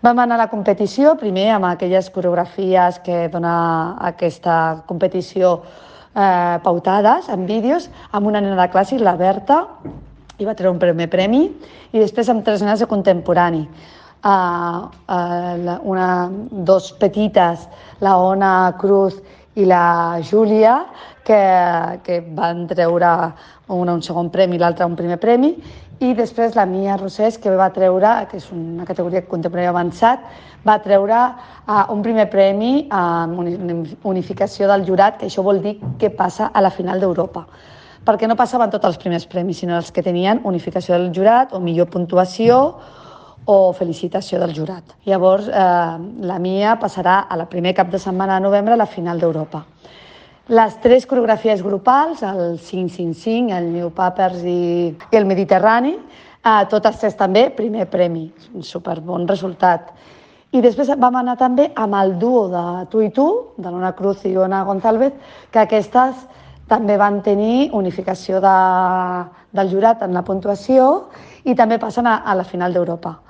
Vam anar a la competició, primer amb aquelles coreografies que dona aquesta competició pautades en vídeos, amb una nena de clàssic, la Berta, i va treure un primer premi, i després amb 3 nenes de contemporani. Dos petites, la Ona Cruz i la Júlia, que van treure una un segon premi i l'altra un primer premi, i després la Mia Rosés, que va treure, que és una categoria contemporani avançat, va treure un primer premi amb unificació del jurat, que això vol dir què passa a la final d'Europa. Perquè no passaven tots els primers premis, sinó els que tenien unificació del jurat o millor puntuació o felicitació del jurat. Llavors, la Mia passarà a la primer cap de setmana de novembre a la final d'Europa. Les 3 coreografies grupals, el 5-5-5, el New Papers i el Mediterrani, totes 3 també, primer premi, un superbon resultat. I després vam anar també amb el duo de Tu i Tu, de l'Ona Cruz i Ona González, que aquestes també van tenir unificació del jurat en la puntuació i també passen a la final d'Europa.